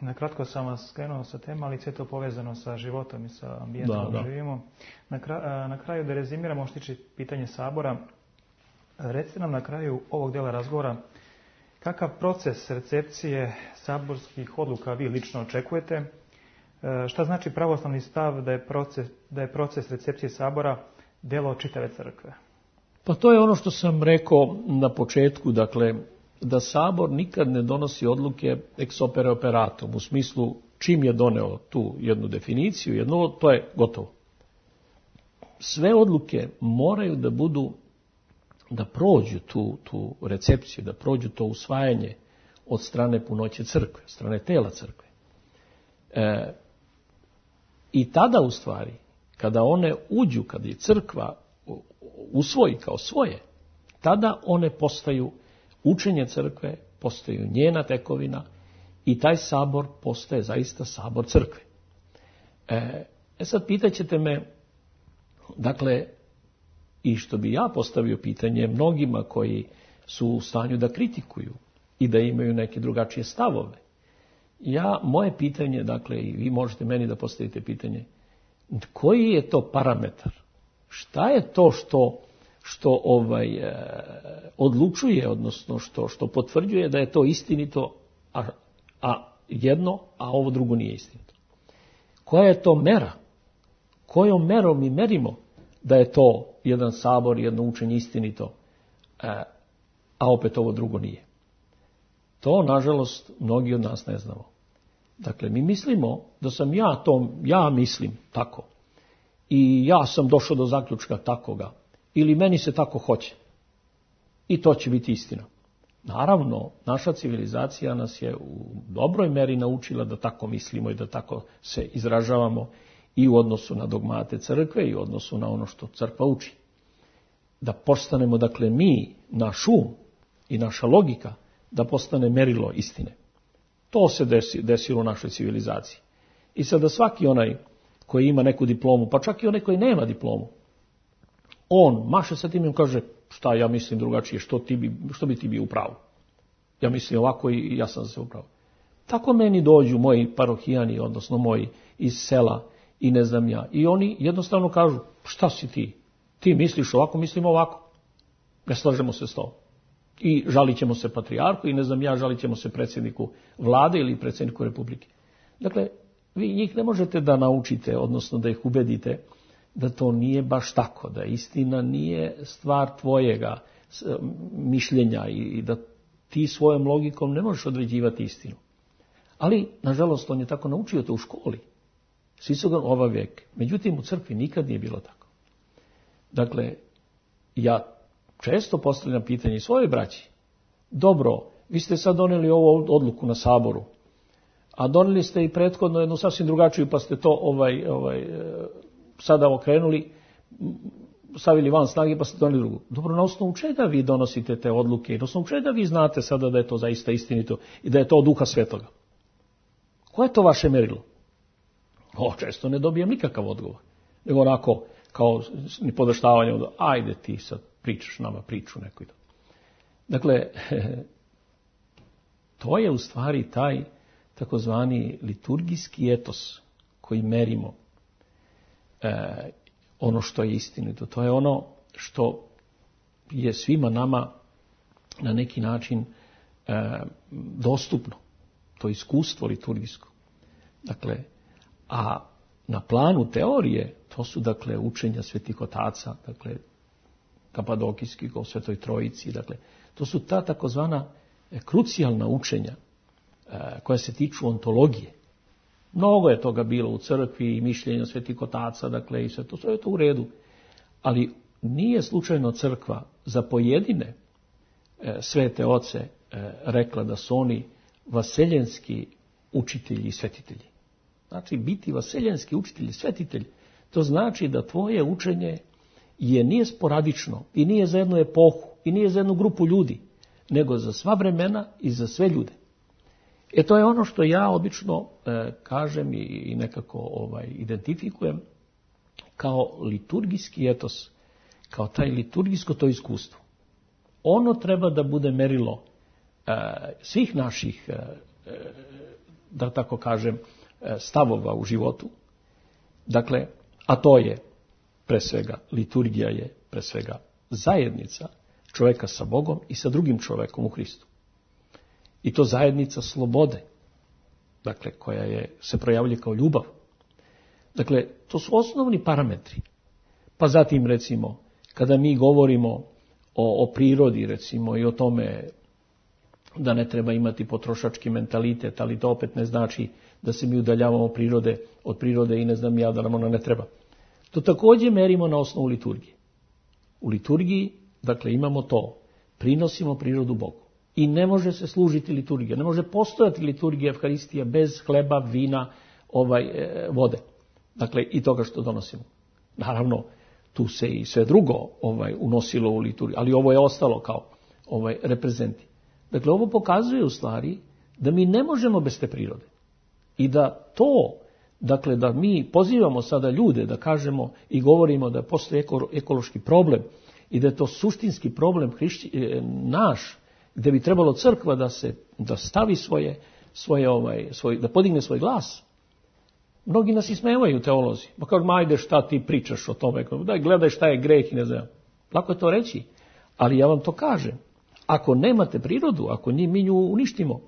Speaker 1: Nakratko sam vas skrenuo sa tema, ali sve to povezano sa životom i sa ambijentom da, da. živimo. Na, kraju, na kraju da rezimiramo što tiče pitanje Sabora. Recite nam na kraju ovog dela razgovora kakav proces recepcije saborskih odluka vi lično očekujete. Šta znači pravoslavni stav da je proces, da je proces recepcije Sabora delo čitave crkve?
Speaker 2: Pa to je ono što sam rekao na početku, dakle, da Sabor nikad ne donosi odluke ex opere operatum, u smislu čim je doneo tu jednu definiciju, jedno, to je gotovo. Sve odluke moraju da budu, da prođu tu, tu recepciju, da prođu to usvajanje od strane punoće crkve, od strane tela crkve. E, I tada u stvari, kada one uđu, kada je crkva usvoji kao svoje, tada one postaju učenje crkve, postaju njena tekovina i taj sabor postaje zaista sabor crkve. E, e sad pitaćete me, dakle, i što bi ja postavio pitanje mnogima koji su u stanju da kritikuju i da imaju neke drugačije stavove. Ja, moje pitanje, dakle, i vi možete meni da postavite pitanje, koji je to parametar? Šta je to što što ovaj e, odlučuje, odnosno što, što potvrđuje da je to istinito, a, a jedno, a ovo drugo nije istinito. Koja je to mera? Kojom merom mi merimo da je to jedan sabor, jedno učenje istinito, e, a opet ovo drugo nije? To, nažalost, mnogi od nas ne znamo. Dakle, mi mislimo da sam ja to, ja mislim tako. I ja sam došao do zaključka takoga. Ili meni se tako hoće. I to će biti istina. Naravno, naša civilizacija nas je u dobroj meri naučila da tako mislimo i da tako se izražavamo i u odnosu na dogmate crkve i u odnosu na ono što crkva uči. Da postanemo, dakle, mi, naš um i naša logika, da postane merilo istine. To se desi, desilo u našoj civilizaciji. I sada svaki onaj koji ima neku diplomu, pa čak i onaj koji nema diplomu, on maše sa tim i kaže, šta ja mislim drugačije, što, ti bi, što bi ti bio u pravu? Ja mislim ovako i ja sam se u pravu. Tako meni dođu moji parohijani, odnosno moji iz sela i ne znam ja. I oni jednostavno kažu, šta si ti? Ti misliš ovako, mislim ovako. Ne slažemo se s tom. I žalit ćemo se patrijarhu i ne znam ja, žalit ćemo se predsjedniku vlade ili predsjedniku republike. Dakle, vi njih ne možete da naučite, odnosno da ih ubedite da to nije baš tako, da istina nije stvar tvojega mišljenja i da ti svojom logikom ne možeš određivati istinu. Ali, nažalost, on je tako naučio to u školi. Svi su ga ova vijek. Međutim, u crkvi nikad nije bilo tako. Dakle, ja često postavljam pitanje svoje braći. Dobro, vi ste sad donijeli ovu odluku na saboru, a donijeli ste i prethodno jednu sasvim drugačiju, pa ste to ovaj, ovaj, sada okrenuli, stavili van snage, pa ste donijeli drugu. Dobro, na osnovu čega vi donosite te odluke? Na osnovu čega vi znate sada da je to zaista istinito i da je to od Duha Svetoga? Koje je to vaše merilo? O, često ne dobijem nikakav odgovor. Nego onako, kao ni podaštavanje, od, ajde ti sad pričaš nama priču neku. Dakle, to je u stvari taj takozvani liturgijski etos koji merimo e, ono što je istinito. To je ono što je svima nama na neki način e, dostupno. To iskustvo liturgijsko. Dakle, a na planu teorije to su dakle učenja svetih otaca, dakle kapadokijski o Svetoj Trojici, dakle to su ta takozvana krucijalna učenja e, koja se tiču ontologije. Mnogo je toga bilo u crkvi i mišljenja svetih otaca, dakle i sve to, sve je to u redu. Ali nije slučajno crkva za pojedine e, svete oce e, rekla da su oni vaseljenski učitelji i svetitelji. Znači, biti vaseljenski učitelj i svetitelj, to znači da tvoje učenje je nije sporadično i nije za jednu epohu i nije za jednu grupu ljudi, nego za sva vremena i za sve ljude. E to je ono što ja obično e, kažem i, i nekako ovaj, identifikujem kao liturgijski etos, kao taj liturgijsko to iskustvo. Ono treba da bude merilo e, svih naših, e, da tako kažem, stavova u životu. Dakle, a to je pre svega, liturgija je pre svega zajednica čovjeka sa Bogom i sa drugim čovjekom u Hristu. I to zajednica slobode, dakle, koja je, se projavlja kao ljubav. Dakle, to su osnovni parametri. Pa zatim, recimo, kada mi govorimo o, o prirodi, recimo, i o tome da ne treba imati potrošački mentalitet, ali to opet ne znači da se mi udaljavamo prirode, od prirode i ne znam ja da nam ona ne treba. To također merimo na osnovu liturgije. U liturgiji, dakle, imamo to. Prinosimo prirodu Bogu. I ne može se služiti liturgija. Ne može postojati liturgija Evharistija bez hleba, vina, ovaj, e, vode. Dakle, i toga što donosimo. Naravno, tu se i sve drugo ovaj, unosilo u liturgiju, ali ovo je ostalo kao ovaj, reprezenti. Dakle, ovo pokazuje u stvari da mi ne možemo bez te prirode. I da to, dakle, da mi pozivamo sada ljude da kažemo i govorimo da postoji eko, ekološki problem i da je to suštinski problem hrišći, naš, gdje bi trebalo crkva da se da stavi svoje, svoje ovaj, svoj, da podigne svoj glas. Mnogi nas ismevaju teolozi. Pa kažu, ajde šta ti pričaš o tome, daj gledaj šta je greh i ne znam. Lako je to reći, ali ja vam to kažem. Ako nemate prirodu, ako mi nju uništimo,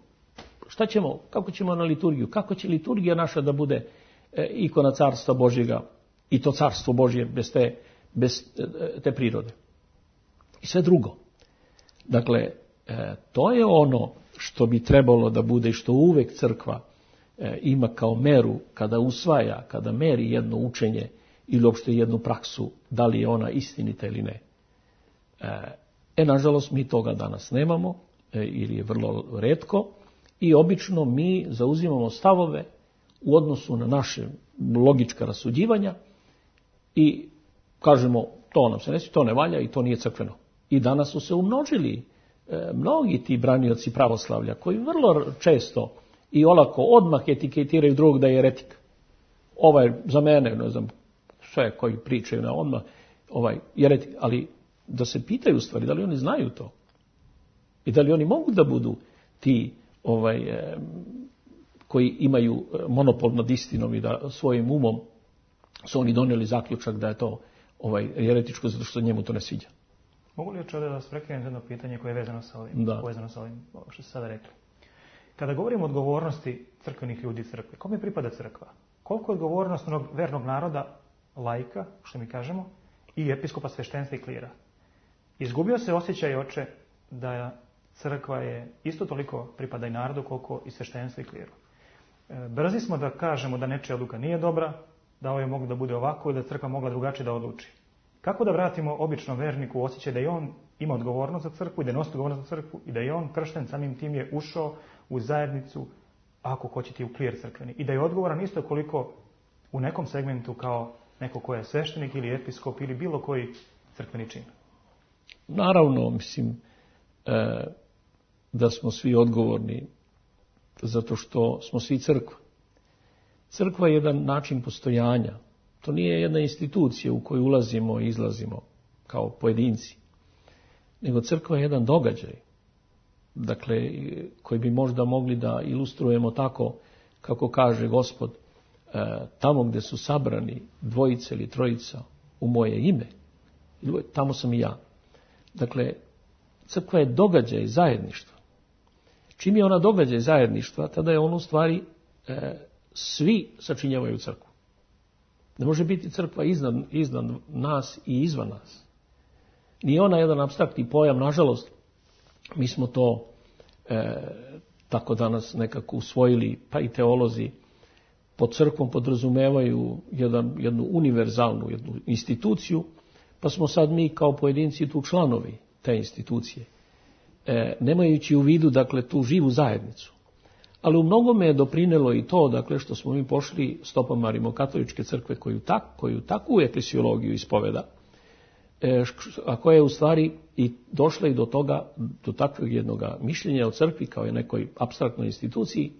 Speaker 2: šta ćemo, kako ćemo na liturgiju? Kako će liturgija naša da bude ikona carstva Božjega i to carstvo Božje bez te, bez te prirode? I sve drugo. Dakle, to je ono što bi trebalo da bude i što uvek crkva ima kao meru kada usvaja, kada meri jedno učenje ili uopšte jednu praksu, da li je ona istinita ili ne. E, nažalost, mi toga danas nemamo, e, ili je vrlo retko, i obično mi zauzimamo stavove u odnosu na naše logička rasuđivanja i kažemo, to nam se ne sviđa, to ne valja i to nije crkveno. I danas su se umnožili e, mnogi ti branioci pravoslavlja koji vrlo često i olako odmah etiketiraju drugog da je eretik. Ovaj za mene, ne znam, sve koji pričaju na odmah, ovaj eretik, ali da se pitaju u stvari da li oni znaju to i da li oni mogu da budu ti ovaj e, koji imaju monopol nad istinom i da svojim umom su oni donijeli zaključak da je to ovaj eretičko zato što njemu to ne sviđa.
Speaker 1: Mogu li ovdje da vas prekinem jedno pitanje koje je vezano sa ovim,
Speaker 2: da.
Speaker 1: povezano sa ovim što ste sada rekli? Kada govorimo o odgovornosti crkvenih ljudi crkve, kome pripada crkva? Koliko je odgovornost onog vernog naroda, laika, što mi kažemo, i episkopa, sveštenstva i klira? Izgubio se osjećaj, oče, da crkva je isto toliko pripada i narodu koliko i sveštenstvo i kliru. Brzi smo da kažemo da nečija odluka nije dobra, da ovo je moglo da bude ovako i da crkva mogla drugačije da odluči. Kako da vratimo običnom verniku osjećaj da i on ima odgovornost za crkvu i da nosi odgovornost za crkvu i da i on kršten samim tim je ušao u zajednicu, ako hoćete i u klir crkveni, i da je odgovoran isto koliko u nekom segmentu kao neko ko je sveštenik ili episkop ili bilo koji crkveni čin?
Speaker 2: Naravno, mislim e, da smo svi odgovorni zato što smo svi crkva. Crkva je jedan način postojanja. To nije jedna institucija u koju ulazimo i izlazimo kao pojedinci, nego crkva je jedan događaj, dakle, koji bi možda mogli da ilustrujemo tako kako kaže Gospod, e, tamo gdje su sabrani dvojica ili trojica u moje ime, tamo sam i ja. Dakle, crkva je događaj zajedništva. Čim je ona događaj zajedništva, tada je on u stvari e, svi sačinjavaju crkvu. Ne može biti crkva iznad, iznad nas i izvan nas. Nije ona jedan apstraktni pojam, nažalost, mi smo to e, tako danas nekako usvojili, pa i teolozi pod crkvom podrazumevaju jedan, jednu univerzalnu jednu instituciju, pa smo sad mi kao pojedinci tu članovi te institucije, e, nemajući u vidu, dakle, tu živu zajednicu. Ali u mnogome je doprinelo i to, dakle, što smo mi pošli stopama rimokatoličke crkve koju, tak, koju takvu eklesiologiju ispoveda, e, a koja je u stvari i došla i do toga, do takvog jednog mišljenja o crkvi kao je nekoj apstraktnoj instituciji,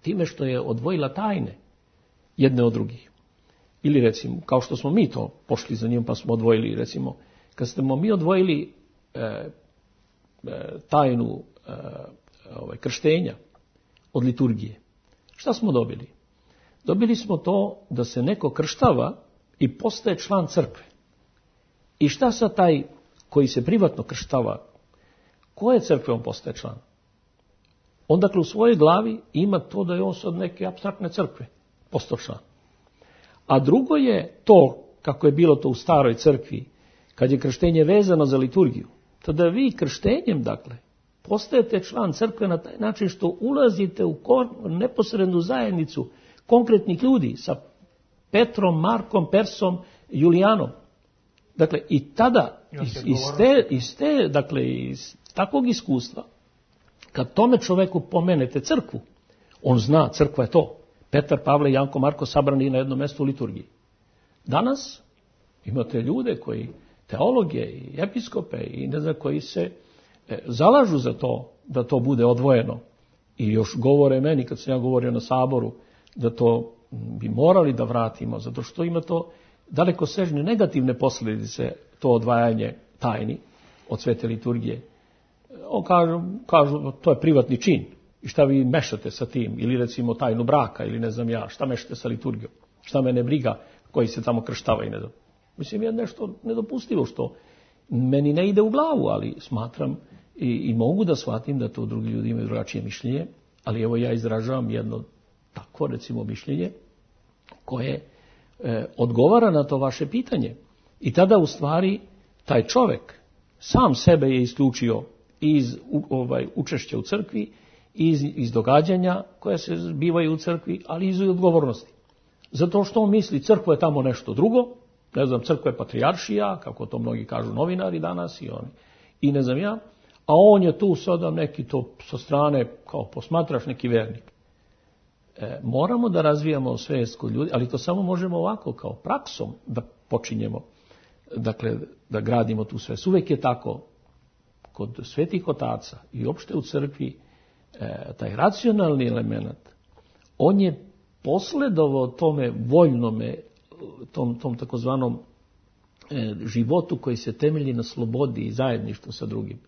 Speaker 2: time što je odvojila tajne jedne od drugih. Ili recimo, kao što smo mi to pošli za njim pa smo odvojili, recimo, kad smo mi odvojili e, e, tajnu e, ovaj, krštenja od liturgije, šta smo dobili? Dobili smo to da se neko krštava i postaje član crkve. I šta sa taj koji se privatno krštava, koje crkve on postaje član? On dakle u svojoj glavi ima to da je on od neke apstraktne crkve postao član. A drugo je to, kako je bilo to u staroj crkvi, kad je krštenje vezano za liturgiju, tada vi krštenjem, dakle, postajete član crkve na taj način što ulazite u neposrednu zajednicu konkretnih ljudi sa Petrom, Markom, Persom, Julijanom. Dakle, i tada, iz, iz, te, iz te, dakle, iz takvog iskustva, kad tome čoveku pomenete crkvu, on zna, crkva je to. Petar, Pavle, Janko, Marko sabrani na jednom mjestu u liturgiji. Danas imate ljude koji, teologe i episkope i ne znam koji se e, zalažu za to da to bude odvojeno. I još govore meni, kad sam ja govorio na saboru, da to bi morali da vratimo, zato što ima to daleko sežne negativne posljedice, to odvajanje tajni od svete liturgije. On kažu, kažu, to je privatni čin. I šta vi mešate sa tim? Ili recimo tajnu braka, ili ne znam ja, šta mešate sa liturgijom? Šta mene briga koji se tamo krštava i ne znam. Mislim, je nešto nedopustivo što Meni ne ide u glavu, ali smatram i, i mogu da shvatim da to drugi ljudi imaju drugačije mišljenje, ali evo ja izražavam jedno tako, recimo, mišljenje koje e, odgovara na to vaše pitanje. I tada u stvari taj čovjek sam sebe je isključio iz u, ovaj, učešća u crkvi, iz, iz događanja koja se zbivaju u crkvi, ali iz odgovornosti. Zato što on misli crkva je tamo nešto drugo, ne znam, crkva je patrijaršija, kako to mnogi kažu novinari danas i oni, i ne znam ja, a on je tu sada neki to sa strane, kao posmatraš, neki vernik. E, moramo da razvijamo svijest kod ljudi, ali to samo možemo ovako, kao praksom, da počinjemo, dakle, da gradimo tu svijest. Uvijek je tako, kod svetih otaca i opšte u crkvi, e, taj racionalni element, on je posledovao tome voljnome, tom, tom takozvanom e, životu koji se temelji na slobodi i zajedništvu sa drugim.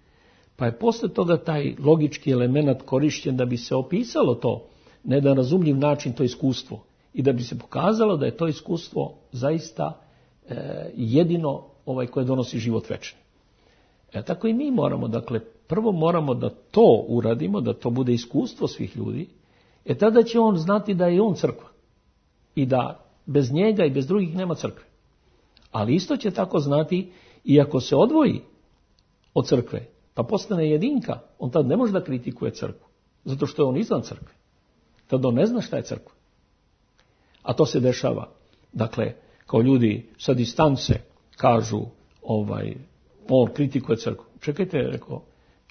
Speaker 2: Pa je posle toga taj logički element korišćen da bi se opisalo to, na jedan razumljiv način, to iskustvo, i da bi se pokazalo da je to iskustvo zaista e, jedino ovaj koje donosi život večni. E, tako i mi moramo, dakle, prvo moramo da to uradimo, da to bude iskustvo svih ljudi, e tada će on znati da je on crkva i da bez njega i bez drugih nema crkve. Ali isto će tako znati i ako se odvoji od crkve, pa postane jedinka, on tad ne može da kritikuje crkvu, zato što je on izvan crkve. Tad on ne zna šta je crkva. A to se dešava. Dakle, kao ljudi sa distance kažu, ovaj, on kritikuje crkvu. Čekajte, rekao,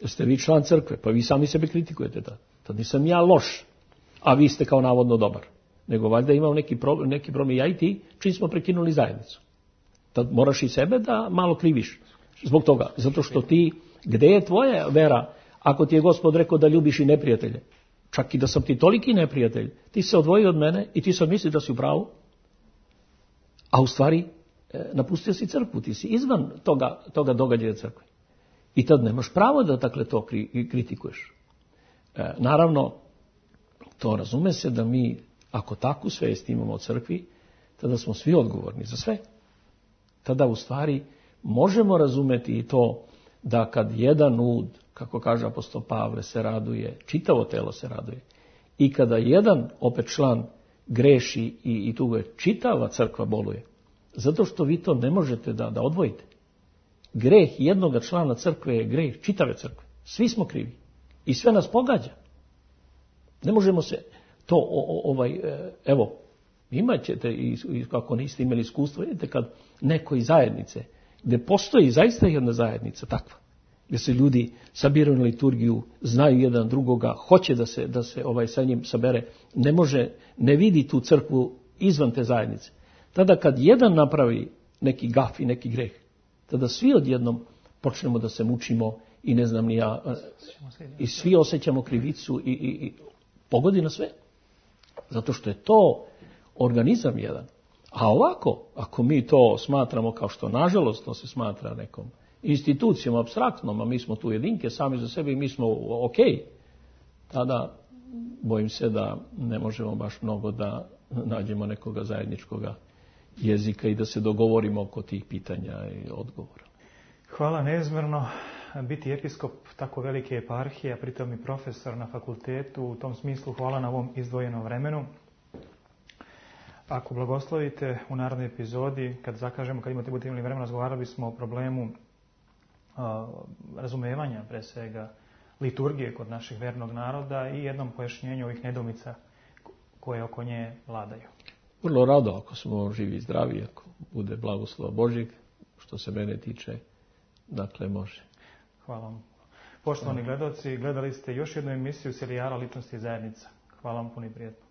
Speaker 2: jeste vi član crkve, pa vi sami sebe kritikujete tad. Tad nisam ja loš, a vi ste kao navodno dobar. Nego valjda imam neki problem, neki problem ja i ti, čim smo prekinuli zajednicu. Tad moraš i sebe da malo kriviš zbog toga. Zato što ti, gde je tvoja vera, ako ti je Gospod rekao da ljubiš i neprijatelje? Čak i da sam ti toliki neprijatelj, ti se odvojio od mene i ti sad misliš da si u pravu, a u stvari e, napustio si crkvu, ti si izvan toga, toga događaja crkve. I tad nemaš pravo da dakle to kri, kritikuješ. E, naravno, to razume se da mi, ako takvu svijest imamo o crkvi, tada smo svi odgovorni za sve. Tada u stvari možemo razumeti i to da kad jedan ud, kako kaže apostol Pavle, se raduje, čitavo telo se raduje. I kada jedan opet član greši i, i tu je čitava crkva boluje. Zato što vi to ne možete da, da odvojite. Greh jednoga člana crkve je greh čitave crkve. Svi smo krivi. I sve nas pogađa. Ne možemo se to, o, o, ovaj, evo, imat ćete, i, i kako niste imali iskustvo, vidite kad neko iz zajednice, gdje postoji zaista jedna zajednica takva, gdje se ljudi sabiraju na liturgiju, znaju jedan drugoga, hoće da se, da se ovaj sa njim sabere, ne može, ne vidi tu crkvu izvan te zajednice. Tada kad jedan napravi neki gaf i neki greh, tada svi odjednom počnemo da se mučimo i ne znam ni ja, i svi osjećamo krivicu i, i, i pogodi na sve. Zato što je to organizam jedan. A ovako, ako mi to smatramo kao što nažalost to se smatra nekom institucijom apstraktnom, a mi smo tu jedinke sami za sebe i mi smo ok, tada bojim se da ne možemo baš mnogo da nađemo nekoga zajedničkoga jezika i da se dogovorimo oko tih pitanja i odgovora.
Speaker 1: Hvala neizmjerno. Biti episkop tako velike eparhije, a pritom i profesor na fakultetu, u tom smislu hvala na ovom izdvojenom vremenu. Ako blagoslovite u narednoj epizodi, kad zakažemo, kad imate budete imali vremena, razgovarali smo o problemu a, razumevanja, pre svega, liturgije kod naših vernog naroda i jednom pojašnjenju ovih nedoumica koje oko nje vladaju.
Speaker 2: Vrlo rado, ako smo živi i zdravi, ako bude blagoslova Božjeg, što se mene tiče, dakle može.
Speaker 1: Hvala vam. Poštovani gledaoci, gledali ste još jednu emisiju serijala Ličnosti i zajednica. Hvala vam puno i prijetno.